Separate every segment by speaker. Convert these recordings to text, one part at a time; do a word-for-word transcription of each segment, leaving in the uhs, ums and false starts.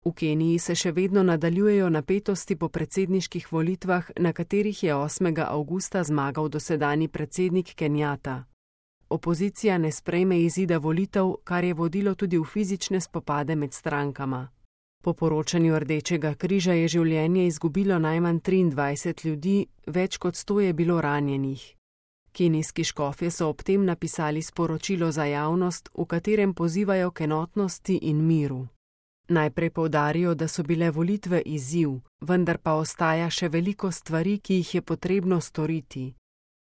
Speaker 1: V Keniji se še vedno nadaljujejo napetosti po predsedniških volitvah, na katerih je osmega avgusta zmagal dosedanji predsednik Kenjata. Opozicija ne sprejme izida volitev, kar je vodilo tudi v fizične spopade med strankama. Po poročanju Rdečega križa je življenje izgubilo najmanj triindvajset ljudi, več kot sto je bilo ranjenih. Kenijski škofje so ob tem napisali sporočilo za javnost, v katerem pozivajo k enotnosti in miru. Najprej poudarijo, da so bile volitve izziv, vendar pa ostaja še veliko stvari, ki jih je potrebno storiti.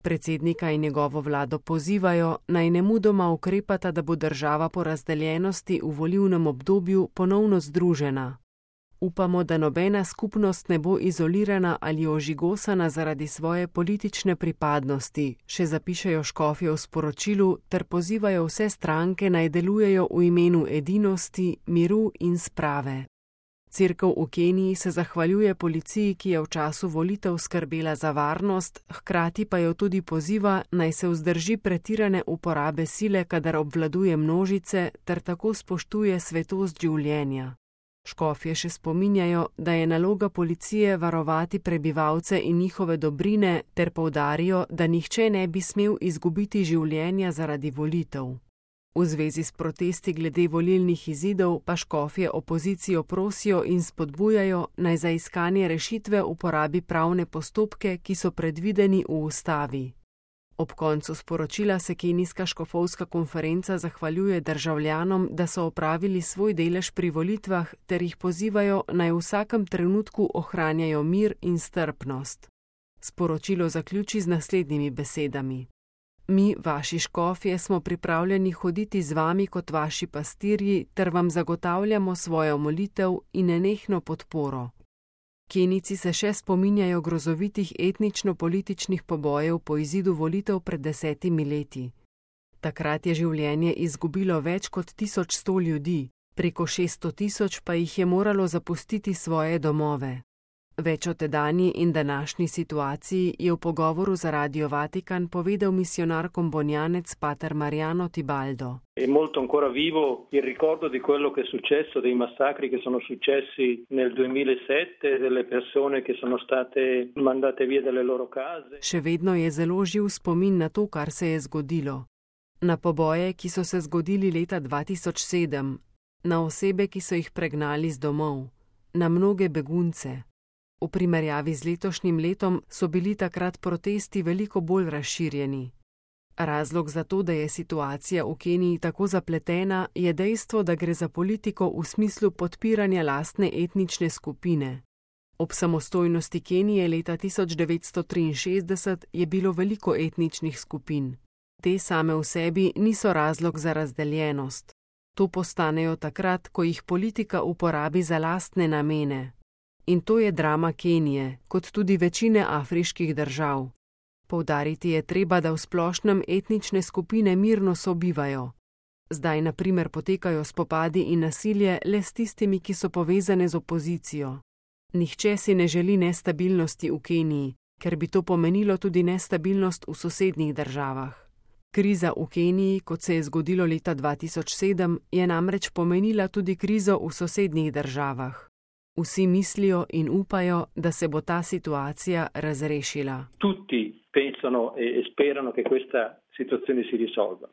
Speaker 1: Predsednika in njegovo vlado pozivajo, naj nemudoma ukrepata, da bo država po razdeljenosti v volilnem obdobju ponovno združena. Upamo, da nobena skupnost ne bo izolirana ali ožigosana zaradi svoje politične pripadnosti, še zapišejo škofje v sporočilu ter pozivajo vse stranke, naj delujejo v imenu edinosti, miru in sprave. Cerkev v Keniji se zahvaljuje policiji, ki je v času volitev skrbela za varnost, hkrati pa jo tudi poziva, naj se vzdrži pretirane uporabe sile, kadar obvladuje množice, ter tako spoštuje svetost življenja. Škofje še spominjajo, da je naloga policije varovati prebivalce in njihove dobrine, ter poudarijo, da nihče ne bi smel izgubiti življenja zaradi volitev. V zvezi s protesti glede volilnih izidov pa škofje opozicijo prosijo in spodbujajo, naj za iskanje rešitve uporabi pravne postopke, ki so predvideni v ustavi. Ob koncu sporočila se Kenijska škofovska konferenca zahvaljuje državljanom, da so opravili svoj delež pri volitvah, ter jih pozivajo, naj v vsakem trenutku ohranjajo mir in strpnost. Sporočilo zaključi z naslednjimi besedami. Mi, vaši škofje, smo pripravljeni hoditi z vami kot vaši pastirji ter vam zagotavljamo svojo molitev in nenehno podporo. Kenijci se še spominjajo grozovitih etnično-političnih pobojev po izidu volitev pred desetimi leti. Takrat je življenje izgubilo več kot tisoč sto ljudi, preko šeststo tisoč pa jih je moralo zapustiti svoje domove. Več o tedanji in današnji situaciji je v pogovoru za Radio Vatikan povedal misionar kombonjanec pater Mariano Tibaldo.
Speaker 2: È molto ancora vivo il ricordo di quello che è successo, dei massacri che sono successi nel duemilasette, delle persone che sono state mandate via dalle loro case.
Speaker 1: Še vedno je zelo živ spomin na to, kar se je zgodilo. Na poboje, ki so se zgodili leta dva tisoč sedem, na osebe, ki so jih pregnali z domov, na mnoge begunce. V primerjavi z letošnjim letom so bili takrat protesti veliko bolj razširjeni. Razlog za to, da je situacija v Keniji tako zapletena, je dejstvo, da gre za politiko v smislu podpiranja lastne etnične skupine. Ob samostojnosti Kenije leta tisoč devetsto triinšestdeset je bilo veliko etničnih skupin. Te same v sebi niso razlog za razdeljenost. To postanejo takrat, ko jih politika uporabi za lastne namene. In to je drama Kenije, kot tudi večine afriških držav. Poudariti je treba, da v splošnem etnične skupine mirno sobivajo. Zdaj na primer potekajo spopadi in nasilje le s tistimi, ki so povezane z opozicijo. Nihče si ne želi nestabilnosti v Keniji, ker bi to pomenilo tudi nestabilnost v sosednjih državah. Kriza v Keniji, kot se je zgodilo leta dva tisoč sedem, je namreč pomenila tudi krizo v sosednjih državah. Vsi mislijo in upajo, da se bo ta situacija razrešila.
Speaker 2: Tutti pensano e sperano che questa situazione si risolva.